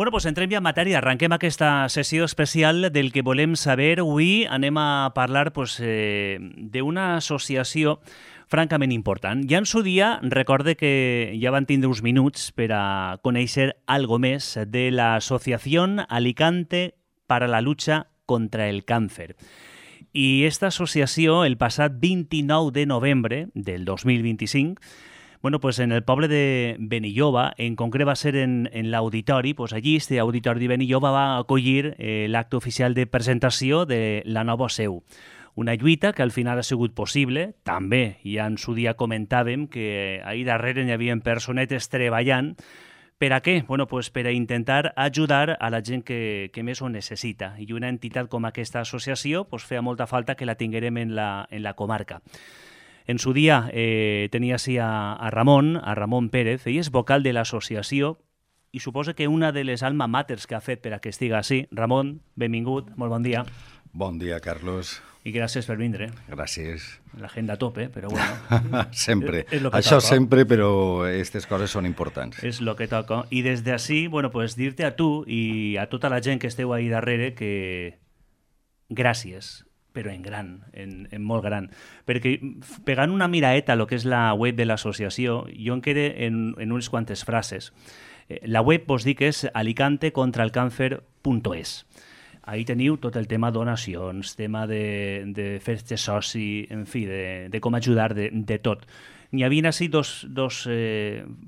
Bueno, doncs entrem ja en matèria. Arrenquem aquesta sessió especial del que volem saber. Avui anem a parlar d'una associació francament important. Ja en su dia, recorde que ja van tindre uns minuts per a conèixer algo més de l'Associació Alicante para la lucha contra el cáncer. I esta associació, el passat 29 de novembre del 2025, bueno, pues en el poble de Benilloba, en concret va ser en l'auditori, pues allí, este auditori de Benilloba va acollir l'acte oficial de presentació de la nova seu. Una lluita que al final ha sigut possible, també, ja en su dia comentàvem que ahir darrere hi havia personetes treballant. Per a què? Bueno, pues per a intentar ajudar a la gent que més ho necessita. I una entitat com aquesta associació pues feia molta falta que la tinguérem en la comarca. En su dia tenia així a Ramon Pérez, ell és vocal de l'associació i suposa que una de les alma maters que ha fet per a que estigui així. Ramon, benvingut, molt bon dia. Bon dia, Carlos. I gràcies per vindre. Gràcies. L'agenda a tope, però bueno. Sempre. És lo que Això toca. sempre, però aquestes coses són importants. És el que toca. I des d'ací, bueno, pues dir-te a tu i a tota la gent que esteu ahí darrere que gràcies, però en gran, en molt gran. Perquè pegant una miraeta a lo que és la web de l'associació, jo em quedé en unes quantes frases. La web vos dic que és alicantecontraalcáncer.es. Ahí teniu tot el tema donacions, tema de fer-te soci, en fi, de com ajudar, de tot. N'hi havia així dos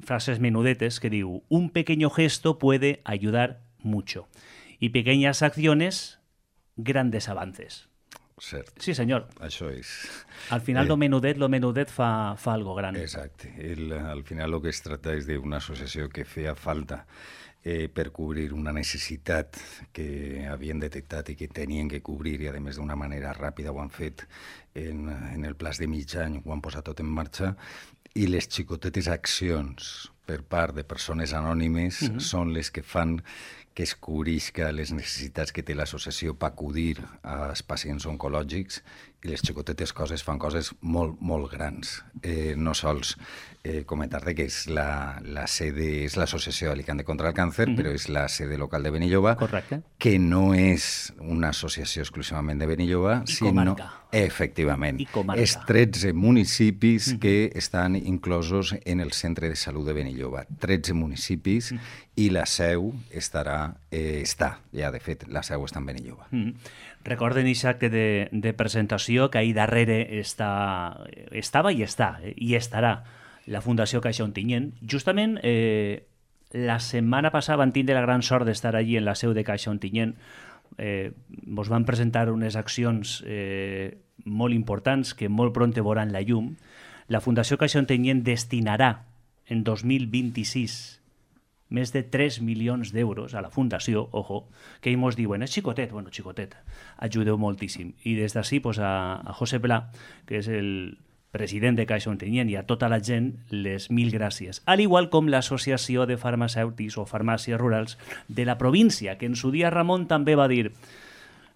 frases menudetes que diu: un pequeño gesto puede ayudar mucho y pequeñas acciones, grandes avances. Cert. Sí, senyor. Això és. Al final lo menudet fa algo gran. Exacte. Al final el que es tracta és d'una associació que feia falta per cobrir una necessitat que havien detectat i que tenien que cobrir, i a més d'una manera ràpida ho han fet en el plaç de mig any, ho han posat tot en marxa, i les xicotetes accions per part de persones anònimes són les que fan que es cobrisca les necessitats que té l'associació per acudir als pacients oncològics, i les xicotetes coses fan coses molt, molt grans. No sols comentar-te que és la sede, és l'associació Alicante contra el càncer, però és la sede local de Benilloba, Correcte. que no és una associació exclusivament de Benilloba, sinó... comarca. Efectivament. I comarca. És 13 municipis que estan inclosos en el centre de salut de Benilloba. 13 municipis i la seu està, ja de fet, la seu està en Benilloba. Recorden aquest acte de presentació que ahir darrere estava i està, i estarà la Fundació Caixa Ontinyent. Justament la setmana passada van tindre la gran sort d'estar allí en la seu de Caixa Ontinyent. Ens van presentar unes accions molt importants que molt pront veuran la llum. La Fundació Caixa Ontinyent destinarà en 2026 més de 3 milions d'euros a la Fundació, ojo, que ells ens diuen, és xicotet, bueno, xicotet, ajudeu moltíssim. I des d'ací pues, a José Pla, que és el president de Caixa Ontinyent, i a tota la gent, les 1000 gràcies. Al igual com l'Associació de Farmacèutics o Farmàcies Rurals de la província, que en su dia Ramon també va dir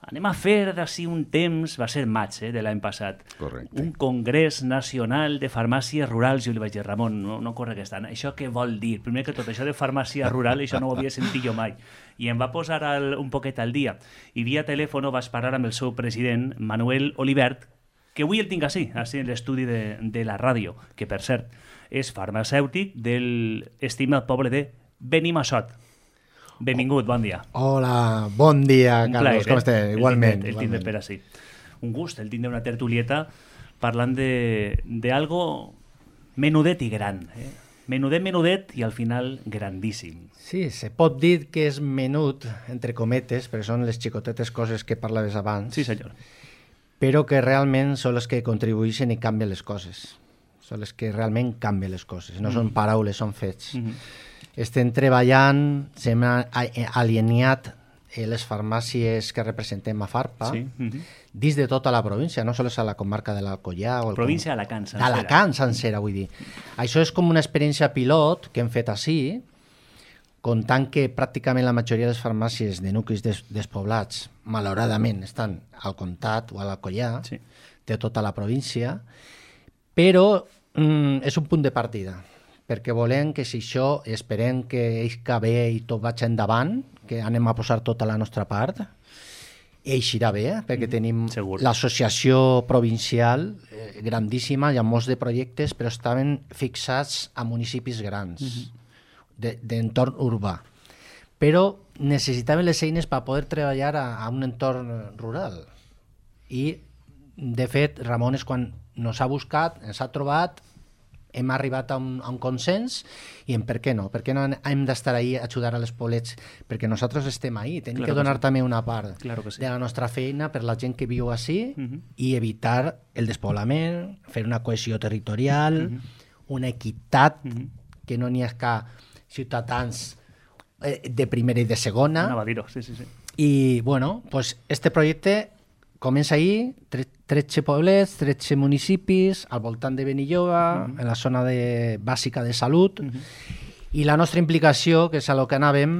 anem a fer d'ací un temps, va ser maig de l'any passat, Correcte. un congrés nacional de farmàcies rurals. Jo li vaig dir, Ramon, no corre aquest any. Això què vol dir? Primer que tot, això de farmàcia rural, això no ho havia sentit jo mai. I em va posar un poquet al dia. I via telèfon vaig parlar amb el seu president, Manuel Olivert, que avui el tinc així en l'estudi de la ràdio, que per cert és farmacèutic del estimat poble de Benimassot. Benvingut, bon dia. Hola, bon dia, Un Carlos, plaer, com estàs? Igualment. El tindre per així. Un gust, el tindre una tertulieta parlant d'algo menudet i gran. Menudet i al final grandíssim. Sí, se pot dir que és menut, entre cometes, perquè són les xicotetes coses que parlaves abans, Sí, senyor. però que realment són les que contribueixen i canvien les coses. Són les que realment canvien les coses. No són paraules, són fets. Estem treballant, s'hem alineat les farmàcies que representem a FARPA dins de tota la província, no només a la comarca de l'Alcoià. Província d'Alacant, sencera. D'Alacant, sencera, vull dir. Això és com una experiència pilot que hem fet així, comptant que pràcticament la majoria de les farmàcies de nuclis despoblats, malauradament, estan al comtat o a l'Alcoià, de tota la província, però és un punt de partida. perquè volem que si això, esperem que eixca bé i tot vaig endavant, que anem a posar tota la nostra part, eixirà bé, perquè tenim segur. l'associació provincial grandíssima, hi ha molts de projectes, però estaven fixats a municipis grans, d'entorn urbà. Però necessitaven les eines per poder treballar a un entorn rural. I, de fet, Ramon és quan ens ha buscat, ens ha trobat, hem arribat a un consens i en per què no? Per què no hem d'estar ahí a ajudar a les poblets? Perquè nosaltres estem ahí, tenim que donar també una part de la nostra feina per la gent que viu així i evitar el despoblament, fer una cohesió territorial, una equitat, que no n'hi ha ciutadans de primera i de segona. Anava a dir-ho, sí. I, bueno, pues este projecte comença ahir, 13 poblets, 13 municipis, al voltant de Benilloba, en la zona bàsica de salut, i la nostra implicació, que és a lo que anàvem,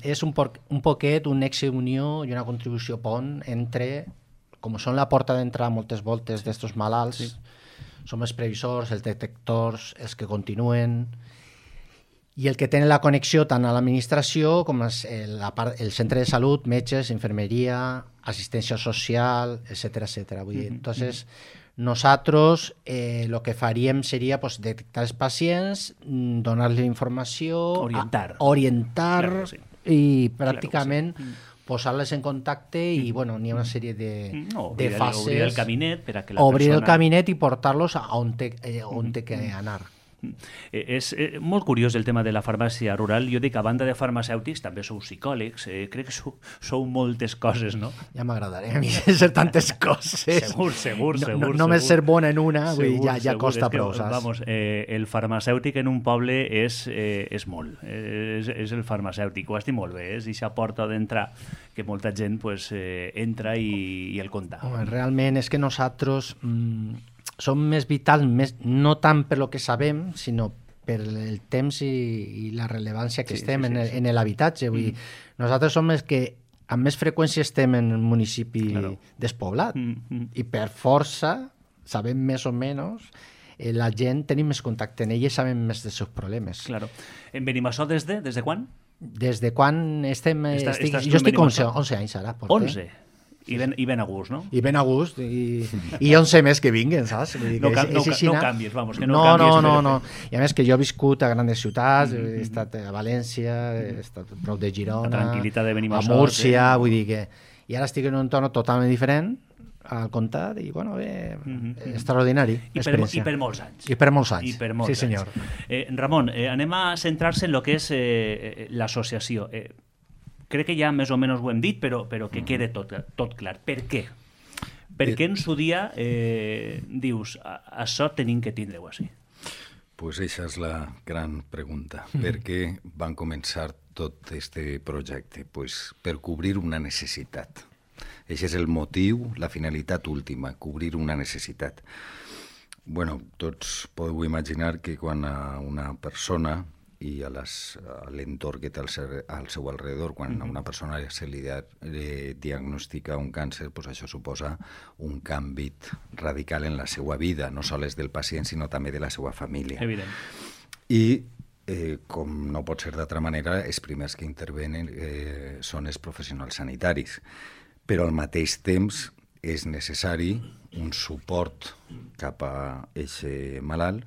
és un poquet, un nexe unió i una contribució pont entre, com són la porta d'entrada moltes voltes d'estos malalts, som els previsors, els detectors, els que continuen, i el que tenen la connexió tant a l'administració com el centre de salut, metges, infermeria, assistència social, etc. Vull dir, entonces, nosaltres lo que faríem seria detectar els pacients, donar-li informació, orientar claro, sí. I pràcticament posar-les en contacte i, bueno, n'hi ha una sèrie de fases. Obrir el caminet per a que la obrir persona... el caminet i portar-los a on té que anar. És molt curiós el tema de la farmàcia rural. Jo dic, a banda de farmacèutics, també sou psicòlegs, crec que sou moltes coses, no? Ja m'agradaria a mi ser tantes coses. Segur. Només ser bona en una, ja costa prou, saps? Vamos, el farmacèutic en un poble és molt, és el farmacèutic, ho estic molt bé, és aquesta porta d'entrar que molta gent entra i el compta. Home, realment és que nosaltres... som més vitals, no tant per lo que sabem, sinó per el temps i la rellevància que estem en l'habitatge. Nosaltres som els que amb més freqüència estem en un municipi despoblat i per força sabem més o menys la gent, tenim més contacte en ella i sabem més dels seus problemes. Claro. En Benimassot des de quan? Des de quan estem... Jo estic 11 anys ara. 11? I ben a gust, no? I ben a gust, i 11 més que vinguen, saps? No canvis, vamos, que no canvis. No. I a més que jo he viscut a grans ciutats, he estat a València, he estat prop de Girona, a Múrcia, vull dir que... I ara estic en un entorn totalment diferent al comtat i, bueno, bé, extraordinari experiència. I per molts anys. I per molts anys, sí senyor. Ramon, anem a centrar-se en el que és l'associació. Crec que ja més o menys ho hem dit, però que quede tot clar. Per què? Per què en su dia dius això tenim que tindre-ho així? Pues eixa és la gran pregunta. Per què van començar tot este projecte? Pues per cobrir una necessitat. Eixe és el motiu, la finalitat última, cobrir una necessitat. Bueno, tots podeu imaginar que quan a una persona i a l'entorn que té al seu alrededor, quan a una persona se li diagnostica un càncer, doncs això suposa un canvi radical en la seva vida, no sols del pacient, sinó també de la seva família. Evident. I, com no pot ser d'altra manera, els primers que intervenen són els professionals sanitaris. Però al mateix temps és necessari un suport cap a aquest malalt,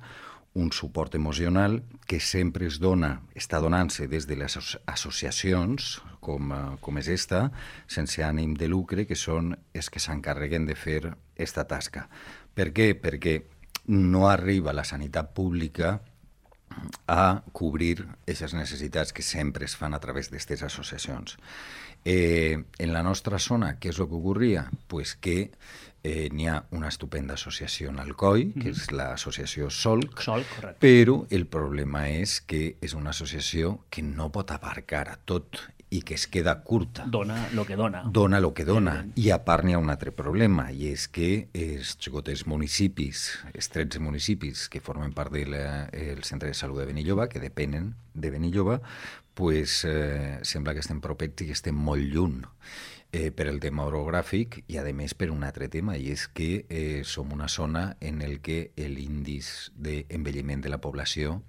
un suport emocional que sempre està donant-se des de les associacions, com és esta, sense ànim de lucre, que són els que s'encarreguen de fer aquesta tasca. Per què? Perquè no arriba la sanitat pública a cobrir aquestes necessitats que sempre es fan a través d'aquestes associacions. En la nostra zona, què és el que ocorria? Pues que n'hi ha una estupenda associació en Alcoi, que és l'associació Solc, però el problema és que és una associació que no pot abarcar a tot i que es queda curta. Dona el que dona. Dona el que dona. I a part n'hi ha un altre problema, i és que els xicotes municipis, els 13 municipis que formen part del centre de salut de Benilloba, que depenen de Benilloba, pues, sembla que estem propets i que estem molt lluny. per el tema orogràfic i, a més, per un altre tema, i és que som una zona en el que l'índice d'envelliment de la població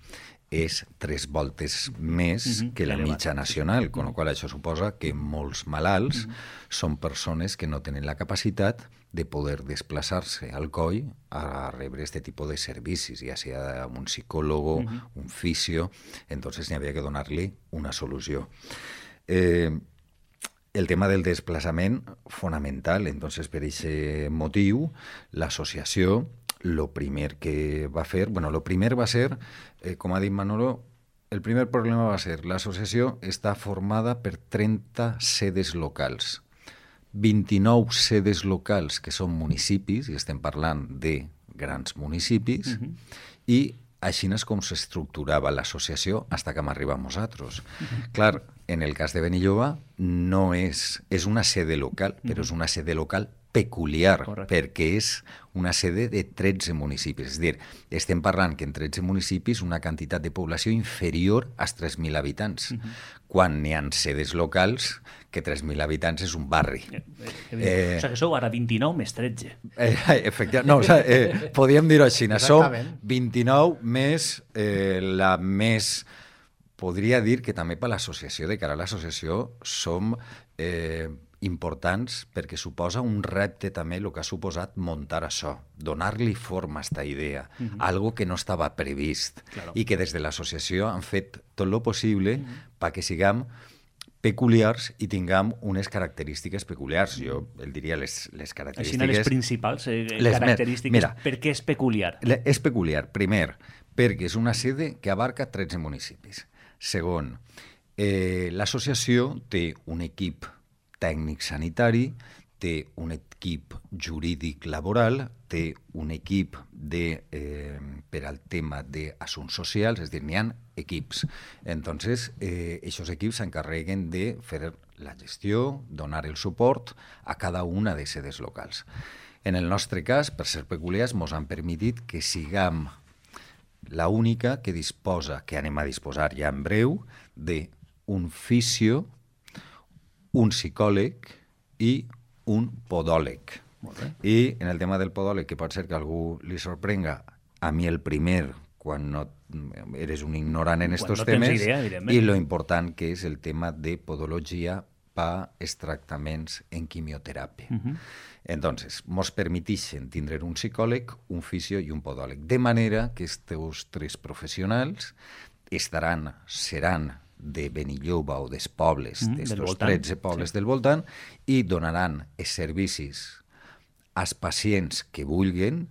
és 3 voltes més que la mitja nacional, con la qual això suposa que molts malalts són persones que no tenen la capacitat de poder desplaçar-se al coll a rebre este tipus de servicis, ja sigui un psicòlogo, un fisio, entonces n'hi havia que donar-li una solució. El tema del desplaçament, fonamental, entonces per aquest motiu, l'associació lo primer que va fer, lo primer va ser, com ha dit Manolo, el primer problema va ser l'associació està formada per 30 sedes locals, 29 sedes locals que són municipis, i estem parlant de grans municipis, i així és com s'estructurava l'associació fins que hem arribat nosaltres. Clar, en el cas de Benilloba no és una sede local, però és una sede local peculiar, perquè és una sede de 13 municipis. És a dir, estem parlant que en 13 municipis una quantitat de població inferior als 3.000 habitants, quan n'hi ha sedes locals que 3.000 habitants és un barri. O sigui que sou ara 29 més 13. Efectivament, no, podríem dir-ho així, som 29 més la més... Podria dir que també per l'associació, de cara a l'associació, som importants perquè suposa un repte també el que ha suposat muntar això, donar-li forma a aquesta idea, algo que no estava previst i que des de l'associació han fet tot el possible perquè siguem peculiars i tinguem unes característiques peculiars. Jo el diria les característiques... Així, les principals característiques. Per què és peculiar? És peculiar, primer, perquè és una sede que abarca 13 municipis. Segon, l'associació té un equip tècnic sanitari, té un equip jurídic laboral, té un equip per al tema d'assumptes socials, és a dir, n'hi ha equips. Entonces, aquests equips s'encarreguen de fer la gestió, donar el suport a cada una de sedes locals. En el nostre cas, per ser peculiars, ens han permitit que siguem la única que disposa, que anem a disposar ja en breu, d'un fisio, un psicòleg i un podòleg. I en el tema del podòleg, que pot ser que a algú li sorprenga, a mi el primer, quan no eres un ignorant en estos temes, i lo important que és el tema de podologia per als tractaments en quimioteràpia. Entonces, mos permetixen tindre un psicòleg, un fisio i un podòleg, de manera que estos 3 professionals seran de Benilloba o dels pobles, d'estos 13 pobles del voltant, i donaran els servicis als pacients que vulguin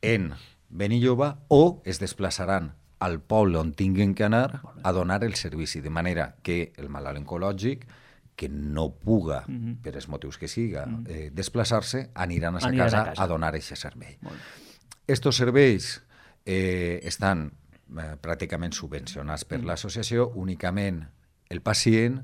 en Benilloba o es desplaçaran al poble on tinguin que anar a donar el servici, de manera que el malalt oncològic que no puga, per els motius que siga, desplaçar-se, aniran a sa casa a donar aquest servei. Estos serveis estan pràcticament subvencionats per l'associació, únicament el pacient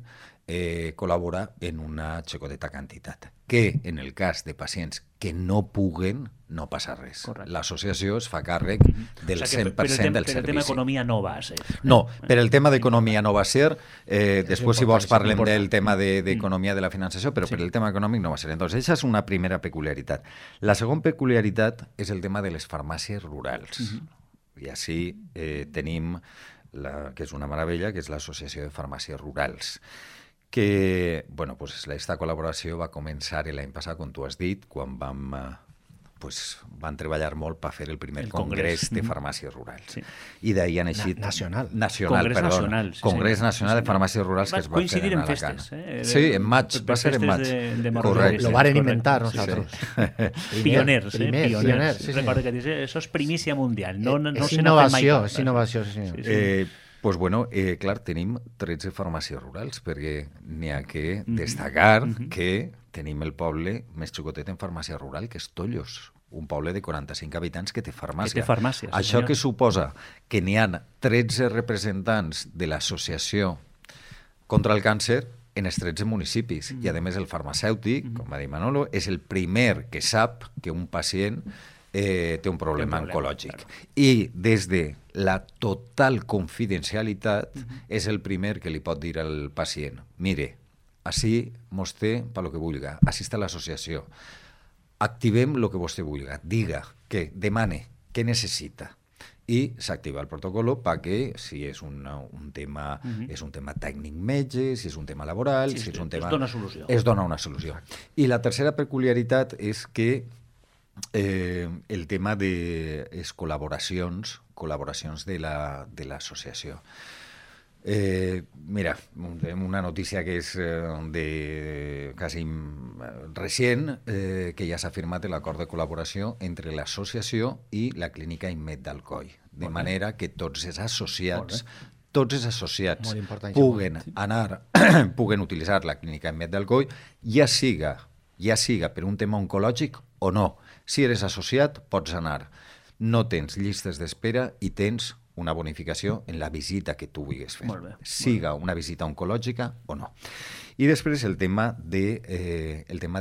col·labora en una xicoteta quantitat, que en el cas de pacients que no puguen, no passa res. L'associació es fa càrrec del 100% del servici. Per el tema d'economia no va ser. No, per el tema d'economia no va ser. Després, si vols, parlem del tema d'economia de la finançació, però per el tema econòmic no va ser. Entonces, aquesta és una primera peculiaritat. La segona peculiaritat és el tema de les farmàcies rurals. I així tenim, que és una meravella, que és l'Associació de Farmàcies Rurals, que, bueno, pues aquesta col·laboració va començar l'any passat, com tu has dit, quan van treballar molt per fer el primer congrés de farmàcies rurals. I d'ahir han eixit... Nacional. Congrés Nacional de Farmàcies Rurals que es va fer en Alacant. Sí, en maig, va ser en maig. Lo varen inventar nosaltres. Pioners. Recorda que dice, eso es primicia mundial. És innovació, és innovació. Pues bueno, clar, tenim 13 farmàcies rurals, perquè n'hi ha que destacar que tenim el poble més xicotet en farmàcia rural, que és Tollos, un poble de 45 habitants que té farmàcia. Això que suposa que n'hi ha 13 representants de l'associació contra el càncer en els 13 municipis. I, a més, el farmacèutic, com va dir Manolo, és el primer que sap que un pacient té un problema oncològic. I des de la total confidencialitat és el primer que li pot dir al pacient: mire, Així mos té per lo que vulga. Així està l'associació. Activem el que vostè vulga. Diga, què, demane, què necessita. I s'activa el protocol perquè si és un tema és un tema tècnic metge, si és un tema laboral, si és un tema... Es dona solució. Es dona una solució. I la tercera peculiaritat és que el tema de les col·laboracions de l'associació. Mira, una notícia que és quasi recent, que ja s'ha firmat l'acord de col·laboració entre l'associació i la clínica Immed d'Alcoi, de manera que tots els associats puguen utilitzar la clínica Immed d'Alcoi, ja siga per un tema oncològic o no. Si eres associat, pots anar. No tens llistes d'espera i tens una bonificació en la visita que tu vulguis fer, siga una visita oncològica o no. I després el tema de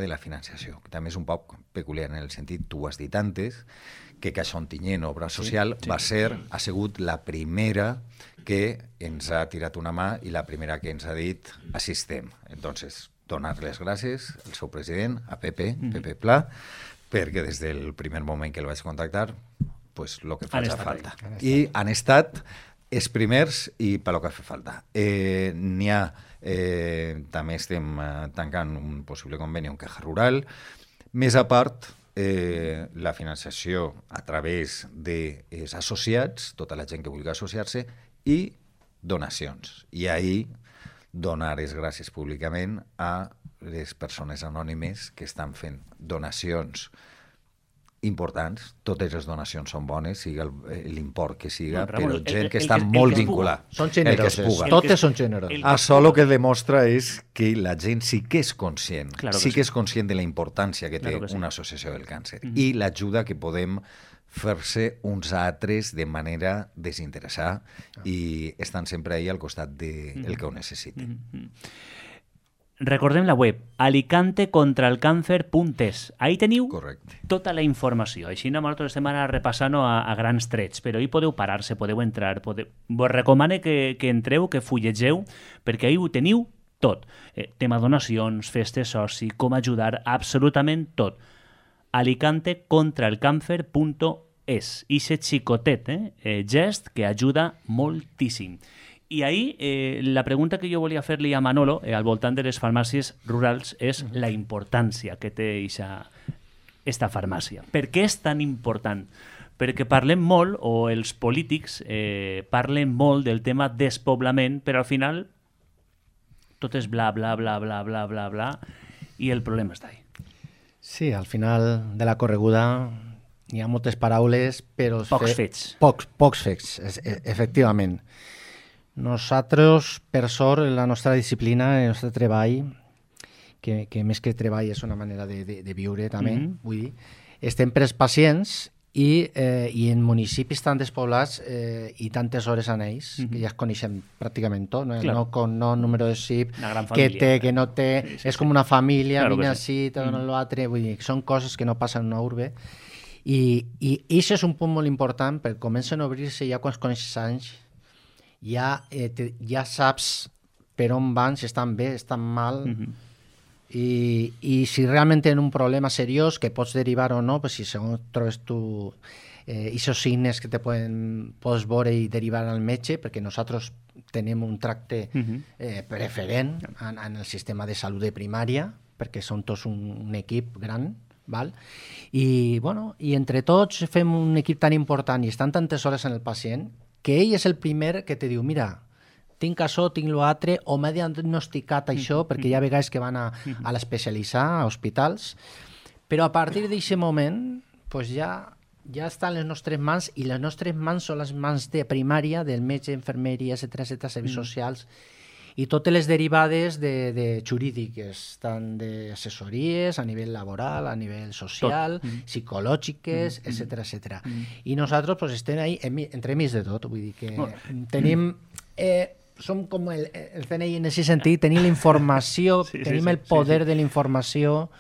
la financiació, que també és un poc peculiar en el sentit, tu ho has dit antes, que Caixa Ontinyent, Obra Social, ha sigut la primera que ens ha tirat una mà i la primera que ens ha dit assistem. Entonces, donar les gràcies al seu president, a Pepe Pla, perquè des del primer moment que el vaig contactar pues lo que faci falta. I han estat els primers i per lo que fa falta. N'hi ha, també estem tancant un possible conveni amb Caja Rural. Més a part, la financiació a través dels associats, tota la gent que vulgui associar-se, i donacions. I ahir donar les gràcies públicament a les persones anònimes que estan fent donacions importants. Totes les donacions són bones, siga l'import que siga, però gent que està molt vinculada. Són generoses, totes són generoses. Això el que demostra és que la gent sí que és conscient, sí que és conscient de la importància que té una associació del càncer i l'ajuda que podem fer-se uns altres de manera desinteressada i estan sempre ahí al costat del que ho necessiti. Recordem la web alicantecontralcancer.es. Ahí teniu tota la informació. Així nosaltres estem ara repassant a grans trets, però ahí podeu parar-se, podeu entrar. Vos recomano que entreu, que fullegeu, perquè ahí ho teniu tot. Tema donacions, festes soci, com ajudar, absolutament tot. alicantecontralcancer.es. Ixe xicotet, gest que ajuda moltíssim. I ahir la pregunta que jo volia fer-li a Manolo al voltant de les farmàcies rurals és la importància que té aquesta farmàcia. Per què és tan important? Perquè parlem molt, o els polítics parlen molt del tema despoblament, però al final tot és bla, bla, bla, bla, bla, bla, bla, i el problema està ahí. Sí, al final de la correguda hi ha moltes paraules, però... Pocs fets. Pocs fets, efectivament. Nosaltres, per sort, la nostra disciplina, el nostre treball, que més que treball és una manera de viure també, vull dir, estem per als pacients i en municipis tan despoblats i tantes hores en ells, que ja es coneixem pràcticament tot, no número de SIP, que té, que no té, és com una família, vine així, te donen l'altre, vull dir, són coses que no passen en una urbe. I això és un punt molt important, perquè comencen a obrir-se ja quan es coneixes anys, ja saps per on van, si estan bé, estan mal, i si realment tenen un problema seriós que pots derivar o no, pues si segons trobes tu aquests signes que pots veure i derivar al metge, perquè nosaltres tenim un tracte preferent en el sistema de salut de primària, perquè són tots un equip gran, val? I entre tots fem un equip tan important i estan tantes hores en el pacient que ell és el primer que te diu, mira, tinc això, tinc l'altre, o m'he diagnosticat això, perquè hi ha vegades que van a l'especialitzar, a hospitals, però a partir d'aquest moment pues ja estan les nostres mans, i les nostres mans són les mans de primària, del metge, infermeria, etc., serveis socials, i totes les derivades jurídiques, tant d'assessories a nivell laboral, a nivell social, psicològiques, etc. I nosaltres pues, estem ahí entremig de tot, vull dir que tenim... som com el CNI en aquest sentit, tenim la informació, tenim el poder de la informació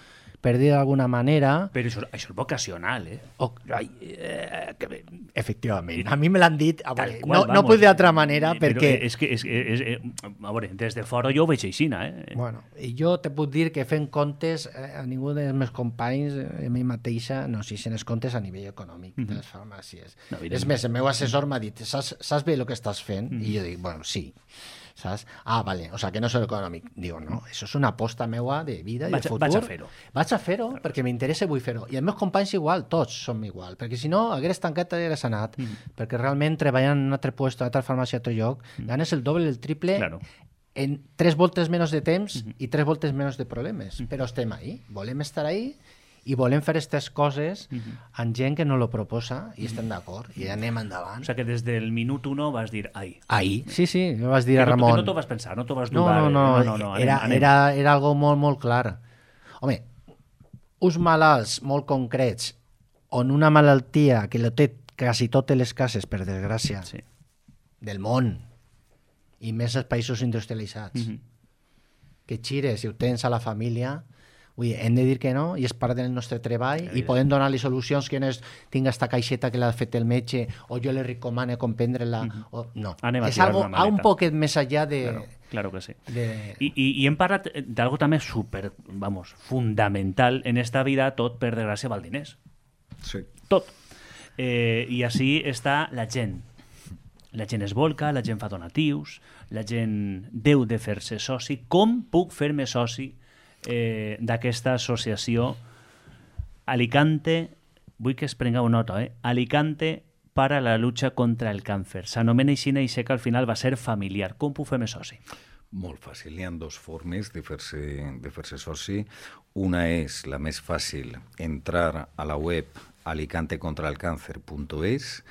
per dir d'alguna manera... Però això és vocacional, eh? Efectivament, a mi me l'han dit, no vamos, puc d'altra manera, perquè... A veure, des de fora jo ho veig així, eh? Bueno, i jo te puc dir que fent comptes, a ningú dels meus companys, a mi mateixa, no, si se n'és comptes a nivell econòmic de les farmàcies. És més, el meu assessor m'ha dit, saps bé el que estàs fent? I jo dic, bueno, sí. ¿Sabes? Vale, o sea, que no és econòmic. Digo, no, això és una aposta meua de vida i de futur. Vaig a fer-ho. Vaig a fer-ho perquè m'interessa i vull fer-ho. I els meus companys igual, tots som igual, perquè si no, hagués tancat i hagués anat, perquè realment treballant en un altre lloc, en una altra farmàcia, a altre lloc, ganes el doble, el triple, en 3 voltes menys de temps i 3 voltes menys de problemes. Però estem ahí, volem estar ahí, i volem fer aquestes coses amb gent que no lo proposa i estem d'acord i anem endavant. O sigui que des del minut 1 vas dir ai. Ai, sí, jo vas dir a Ramon. Que no t'ho vas pensar, no t'ho vas dudar. No, era algo molt, molt clar. Home, uns malalts molt concrets on una malaltia que lo té quasi totes les cases, per desgràcia, del món, i més als països industrialitzats, que xires i ho tens a la família... hem de dir que no, i és part del nostre treball, i podem donar-li solucions que no és tinc esta caixeta que l'ha fet el metge, o jo li recomano comprendre-la, no. És algo un poquet més allà de... Claro que sí. I hem parlat d'algo també super, fundamental en esta vida, tot per desgràcia val diners. Sí. Tot. I així està la gent. La gent es volca, la gent fa donatius, la gent deu de fer-se soci. Com puc fer-me soci d'aquesta associació Alicante, vull que es prengueu nota, Alicante para la lucha contra el càncer. S'anomena així i sé que al final va ser familiar. Com puc fer-me soci? Molt fàcil. Hi ha 2 formes de fer-se soci. Una és la més fàcil, entrar a la web alicantecontraalcáncer.es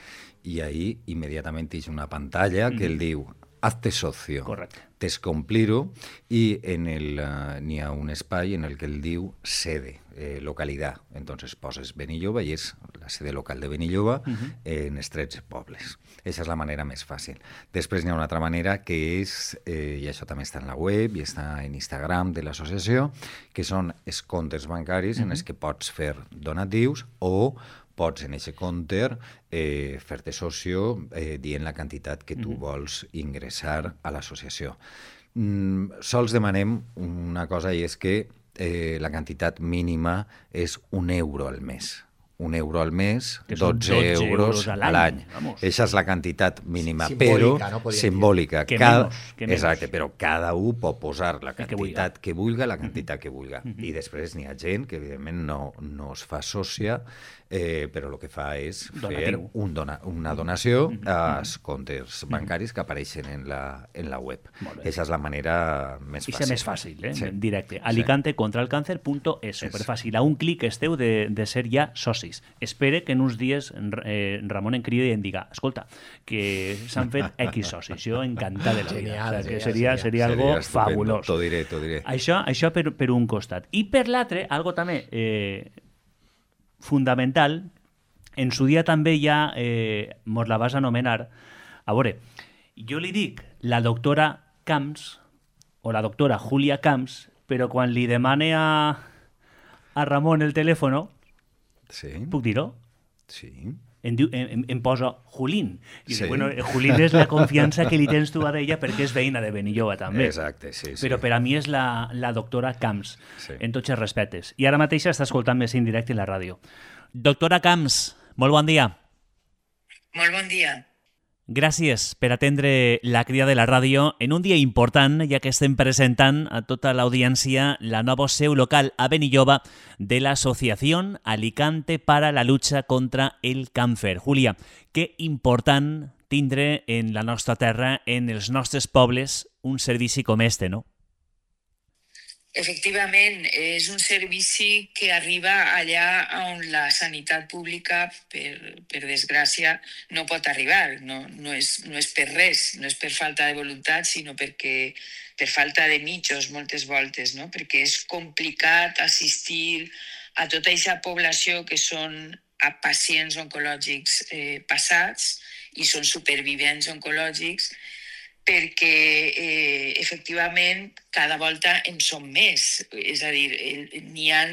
i ahí immediatament hi ha una pantalla que el diu hazte socio. Correcte. Tens que omplir-ho i n'hi ha un espai en el que el diu sede, localitat. Entonces poses Benilloba i és la sede local de Benilloba en els 13 pobles. Aquesta és la manera més fàcil. Després n'hi ha una altra manera que és, i això també està en la web i està en Instagram de l'associació, que són els comptes bancaris en els que pots fer donatius o pots en aquest compte fer-te socio dient la quantitat que tu vols ingressar a l'associació. Sols demanem una cosa i és que la quantitat mínima és €1 al mes. €1 al mes, 12 euros a l'any. Aquesta és la quantitat mínima, però simbòlica. Exacte, però cada un pot posar la quantitat que vulgui, la quantitat que vulgui. I després n'hi ha gent que, evidentment, no es fa sòcia, però el que fa és fer una donació als comptes bancaris que apareixen en la web. Aquesta és la manera més fàcil. És més fàcil, directe. alicantecontraalcáncer.es, superfàcil. A un clic esteu de ser ja socis. Espere que en uns dies Ramon em cridi i em diga escolta, que s'han fet X socis. Jo encantat de la vida. Seria algo fabulós. T'ho diré. Això per un costat. I per l'altre, algo també fundamental, en su dia també ja mos la vas anomenar. A veure, jo li dic la doctora Camps o la doctora Julia Camps, però quan li demane a Ramon el telèfon, puc dir-ho? Sí. Em posa Julín. I dic, bueno, Julín és la confiança que li tens tu a ella perquè és veïna de Benilloba també. Exacte, sí. Però per a mi és la doctora Camps, en tots els respectes. I ara mateix està escoltant més en directe en la ràdio. Doctora Camps, molt bon dia. Molt bon dia. Gràcies per atendre la crida de la ràdio en un dia important, ja que estem presentant a tota l'audiència la nova seu local a Benilloba de l'Associació Alicante para la lucha contra el càncer. Julia, que important tindre en la nostra terra, en els nostres pobles, un servici com este, no? Efectivament, és un servici que arriba allà on la sanitat pública, per desgràcia, no pot arribar. No és per res, no és per falta de voluntat, sinó perquè per falta de mitjos moltes voltes, no? Perquè és complicat assistir a tota aquesta població que són pacients oncològics passats i són supervivents oncològics perquè efectivament cada volta en som més. És a dir, n'hi ha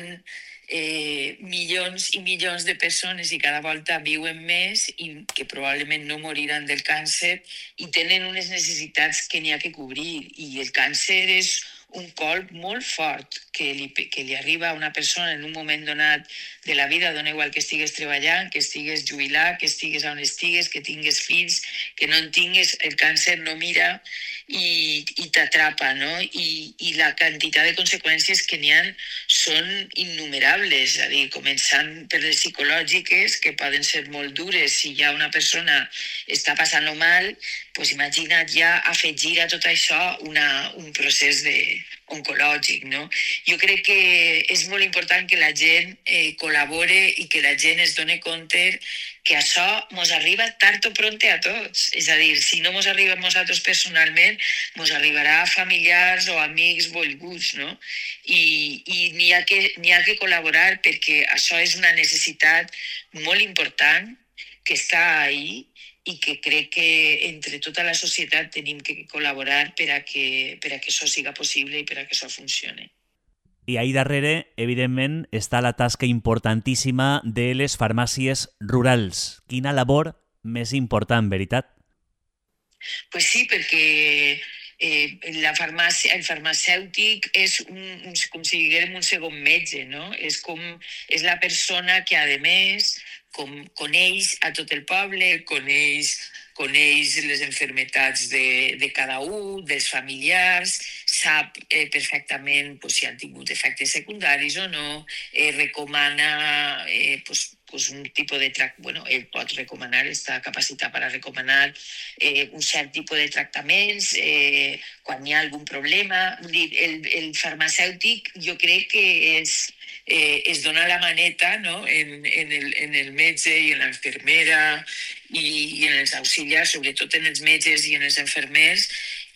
milions i milions de persones i cada volta viuen més i que probablement no moriran del càncer i tenen unes necessitats que n'hi ha que cobrir. I el càncer és un colp molt fort que li arriba a una persona en un moment donat de la vida, dona igual que estigues treballant, que estigues jubilat, que estigues on estigues, que tingues fills, que no en tingues, el càncer no mira i t'atrapa, no? I la quantitat de conseqüències que n'hi ha són innumerables, és a dir, començant per les psicològiques, que poden ser molt dures. Si ja una persona està passant-ho mal, doncs imagina't ja afegir a tot això un procés oncològic, no? Jo crec que és molt important que la gent col·labore i que la gent es doni compte que això mos arriba tard o pronte a tots. És a dir, si no mos arriba a nosaltres personalment, mos arribarà a familiars o amics volguts, no? I n'hi ha que col·laborar perquè això és una necessitat molt important que està ahí i que crec que entre tota la societat tenim que col·laborar per a que això siga possible i per a que això funcione. I ahí darrere, evidentment, està la tasca importantíssima de les farmàcies rurals. Quina labor més important, veritat? Pues sí, perquè el farmacèutic és com si diguem un segon metge, no? És la persona que, a més, coneix a tot el poble, coneix les malalties de cada un, dels familiars, sap perfectament si han tingut efectes secundaris o no, recomana un tipus de tractament, bueno, ell pot recomanar, està capacitat per a recomanar un cert tipus de tractaments quan hi ha algun problema. El farmacèutic jo crec que es dona la maneta, no? en el metge i en l'infermera i en els auxiliars, sobretot en els metges i en els infermers,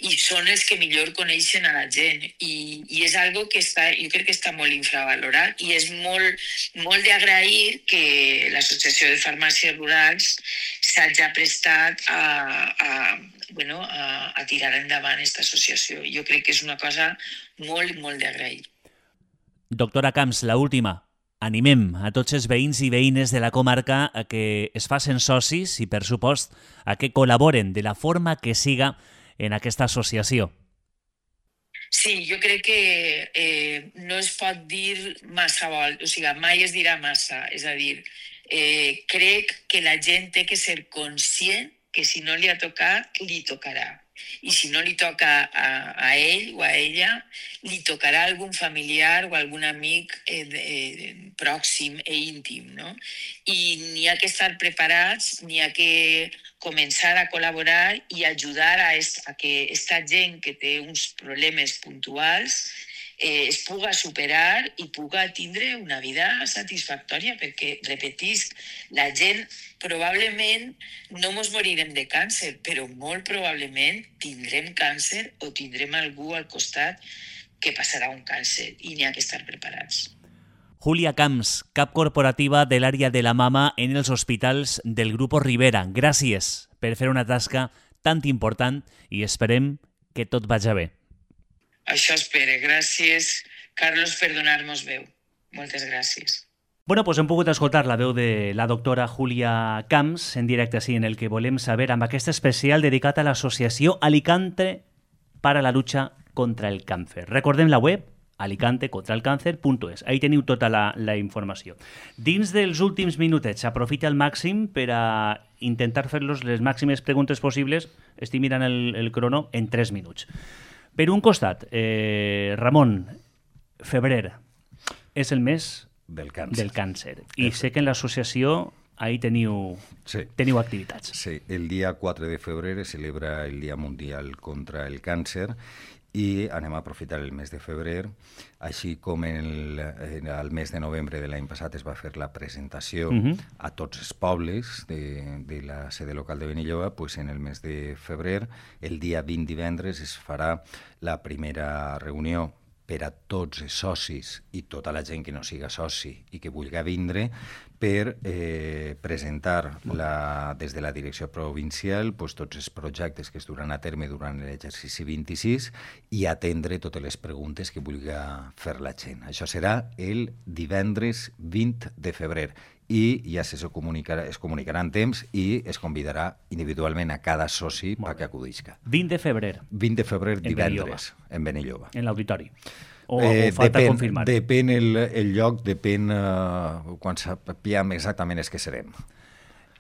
i són els que millor coneixen a la gent. I és algo que jo crec que està molt infravalorat i és molt d'agrair que l'Associació de Farmàcies Rurals s'hagi prestat a tirar endavant aquesta associació. Jo crec que és una cosa molt, molt d'agrair. Doctora Camps, la última. Animem a tots els veïns i veïnes de la comarca a que es facin socis i, per supost, a que col·laboren de la forma que siga en aquesta associació. Sí, jo crec que no es pot dir massa o sigui, mai es dirà massa. És a dir, crec que la gent té que ser conscient que si no li ha tocat, li tocarà. I si no li toca a ell o a ella, li tocarà a algun familiar o a algun amic pròxim i íntim, no? I n'hi ha que estar preparats, n'hi ha que començar a col·laborar i ajudar a que aquesta gent que té uns problemes puntuals es puga superar i puga tindre una vida satisfactòria, perquè, repetisc, la gent probablement no mos morirem de càncer, però molt probablement tindrem càncer o tindrem algú al costat que passarà un càncer i n'hi ha que estar preparats. Júlia Camps, cap corporativa de l'àrea de la mama en els hospitals del Grupo Rivera. Gràcies per fer una tasca tan important i esperem que tot vagi bé. Això espere. Gràcies, Carlos, per donar-nos veu. Moltes gràcies. Bueno, doncs hem pogut escoltar la veu de la doctora Júlia Camps en directe així en el que volem saber amb aquest especial dedicat a l'associació Alicante para la lucha contra el càncer. Recordem la web alicantecontralcáncer.es. Ahí teniu tota la informació. Dins dels últims minutets, aprofita al màxim per a intentar fer-los les màximes preguntes possibles. Estic mirant el crono en 3 minuts. Per un costat, Ramon, febrer és el mes del càncer. I sé que en l'associació ahí teniu activitats. Sí, el dia 4 de febrer es celebra el Dia Mundial contra el Càncer i anem a aprofitar el mes de febrer, així com el mes de novembre de l'any passat es va fer la presentació a tots els pobles de la sede local de Benilloba, pues en el mes de febrer, el dia 20 divendres, es farà la primera reunió per a tots els socis i tota la gent que no siga soci i que vulgui vindre per presentar des de la direcció provincial tots els projectes que es duran a terme durant l'exercici 26 i atendre totes les preguntes que vulgui fer la gent. Això serà el divendres 20 de febrer i ja es comunicarà en temps i es convidarà individualment a cada soci perquè acudisca. 20 de febrer. 20 de febrer, divendres, en Benilloba. En l'auditori. O falta confirmar? Depèn el lloc, depèn quan sapiguem exactament els que serem.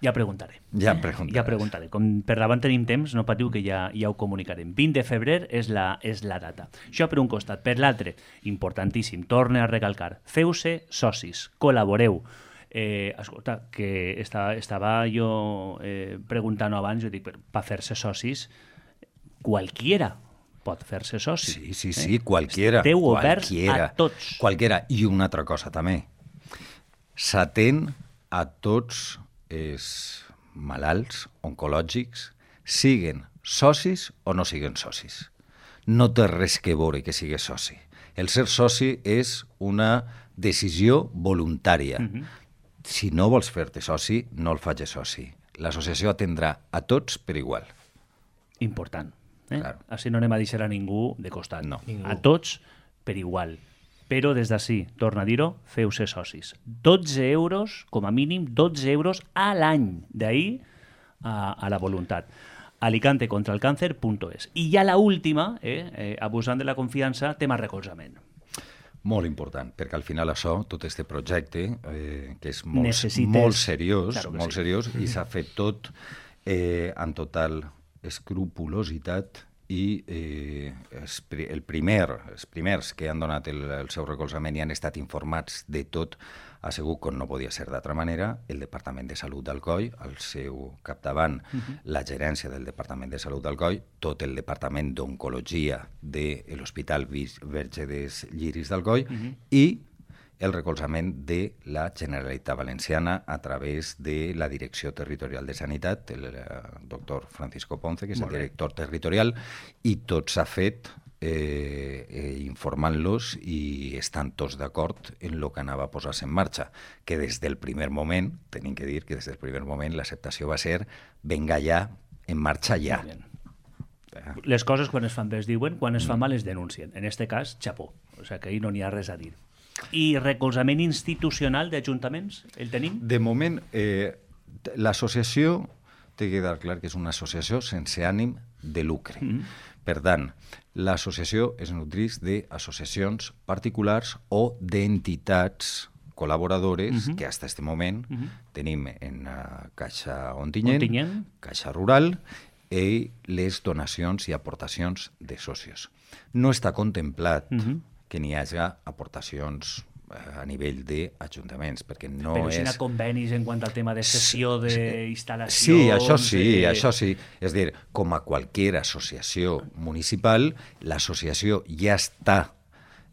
Ja preguntaré. Ja preguntaré. Com per davant tenim temps, no patiu que ja ho comunicarem. 20 de febrer és la data. Això per un costat. Per l'altre, importantíssim, torne a recalcar, feu-se socis, col·laboreu. Escolta, que estava jo preguntant abans, jo dic, per fer-se socis, qualquiera pot fer-se soci. Sí, qualquiera. Esteu oberts a tots. Qualquiera. I una altra cosa també. S'atén a tots els malalts oncològics, siguen socis o no siguen socis. No té res que veure que sigues soci. El ser soci és una decisió voluntària. Si no vols fer-te soci, no el facis soci. L'associació atendrà a tots per igual. Important. Claro. Així no anem a deixar a ningú de costat. No. A tots per igual. Però des d'ací, torna a dir-ho, feu-se socis. 12 euros, com a mínim, 12 euros a l'any. D'ahir a la voluntat. alicantecontralcancer.es. I ja la última, abusant de la confiança, tema recolzament. Molt important, perquè al final això, tot aquest projecte, que és molt seriós, claro molt seriós, i s'ha fet tot amb total escrupulositat i els primers que han donat el seu recolzament i han estat informats de tot, ha sigut, com no podia ser d'altra manera, el Departament de Salut d'Alcoi, al seu capdavant, la gerència del Departament de Salut d'Alcoi, tot el Departament d'Oncologia de l'Hospital Verge dels Lliris d'Alcoi i el recolzament de la Generalitat Valenciana a través de la Direcció Territorial de Sanitat, el doctor Francisco Ponce, que és el director territorial, i tot s'ha fet informant-los i estan tots d'acord en el que anava a posar-se en marxa, que des del primer moment, tenim que dir que des del primer moment l'acceptació va ser venga ja, en marxa ja. Les coses quan es fan bé es diuen, quan es fan mal es denuncien. En este cas, xapó. O sigui que ahir no n'hi ha res a dir. I recolzament institucional d'ajuntaments, el tenim? De moment, l'associació té que quedar clar que és una associació sense ànim de lucre. Per tant, l'associació es nodreix d'associacions particulars o d'entitats col·laboradores que fins a aquest moment tenim en Caixa Ontinyent, Caixa Rural i les donacions i aportacions de socios. No està contemplat que n'hi hagi aportacions a nivell d'ajuntaments, perquè no però és... Però si hi ha convenis en quant al tema de cessió d'instal·lacions... Sí, això sí. És a dir, com a qualsevol associació municipal, l'associació ja està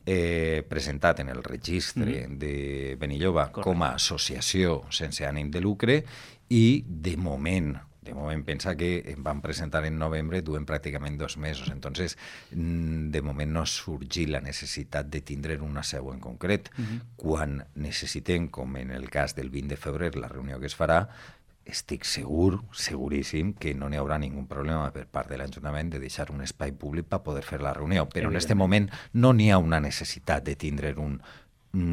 presentat en el registre de Benilloba com a associació sense ànim de lucre i de moment pensa que vam presentar en novembre, duem pràcticament 2 mesos. Entonces, de moment no surgir la necessitat de tindre una seu en concret. Quan necessitem, com en el cas del 20 de febrer, la reunió que es farà, estic seguríssim, que no n'hi haurà ningú problema per part de l'Ajuntament de deixar un espai públic per poder fer la reunió. Però en aquest moment no n'hi ha una necessitat de tindre un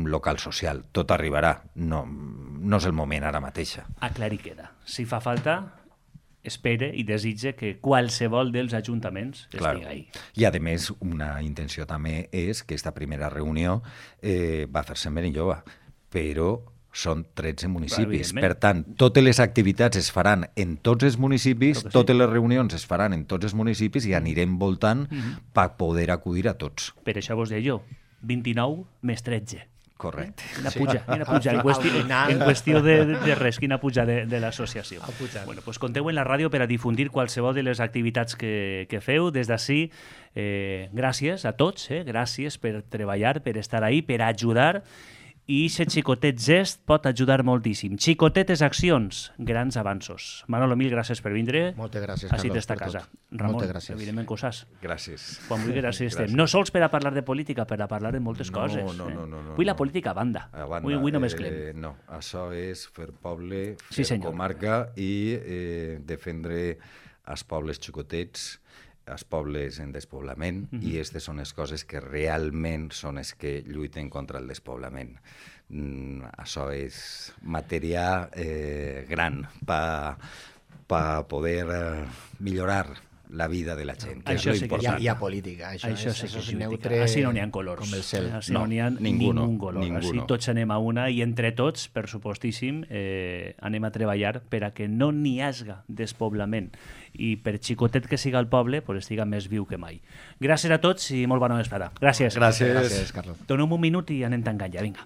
local social. Tot arribarà. No és el moment ara mateixa. Aclarir queda. Si fa falta, espere i desitge que qualsevol dels ajuntaments estigui ahí. I, a més, una intenció també és que aquesta primera reunió va fer-se en Benilloba, però són 13 municipis. Per tant, totes les activitats es faran en tots els municipis, totes les reunions es faran en tots els municipis i anirem voltant per poder acudir a tots. Per això vos deia jo, 29 més 13. Correcte. Quina puja. En qüestió de res, quina puja de l'associació. Bueno, pues conteu en la ràdio per a difundir qualsevol de les activitats que feu. Des d'ací, gràcies a tots, gràcies per treballar, per estar ahí, per ajudar i aquest xicotet gest pot ajudar moltíssim. Xicotetes accions, grans avanços. Manolo, mil gràcies per vindre. Moltes gràcies, Així Carlos, d'esta per casa. tot. Ramon, Moltes gràcies. evidentment que ho saps. Gràcies. Quan vulguis, així estem. No sols per a parlar de política, per a parlar de moltes coses. No. Avui la política a banda. Avui no mesclem. No, això és fer poble, Sí, fer senyor. comarca i defendre els pobles xicotets, els pobles en despoblament, i aquestes són les coses que realment són les que lluiten contra el despoblament. Això és matèria gran per poder millorar la vida de la gent, que Això és sí lo que important. Hi ha política, això Això sí és que és neutre política. Així no n'hi ha colors. com el cel. Així no n'hi ha ninguno, ningú color. ninguno. Així tots anem a una i entre tots, per supostíssim, anem a treballar per a que no n'hi hagi despoblament i per xicotet que siga el poble, pues, estiga més viu que mai. Gràcies a tots i molt bona vesprada. Gràcies. Gràcies. Gràcies, Carlos. Donem un minut i anem tancant ja, vinga.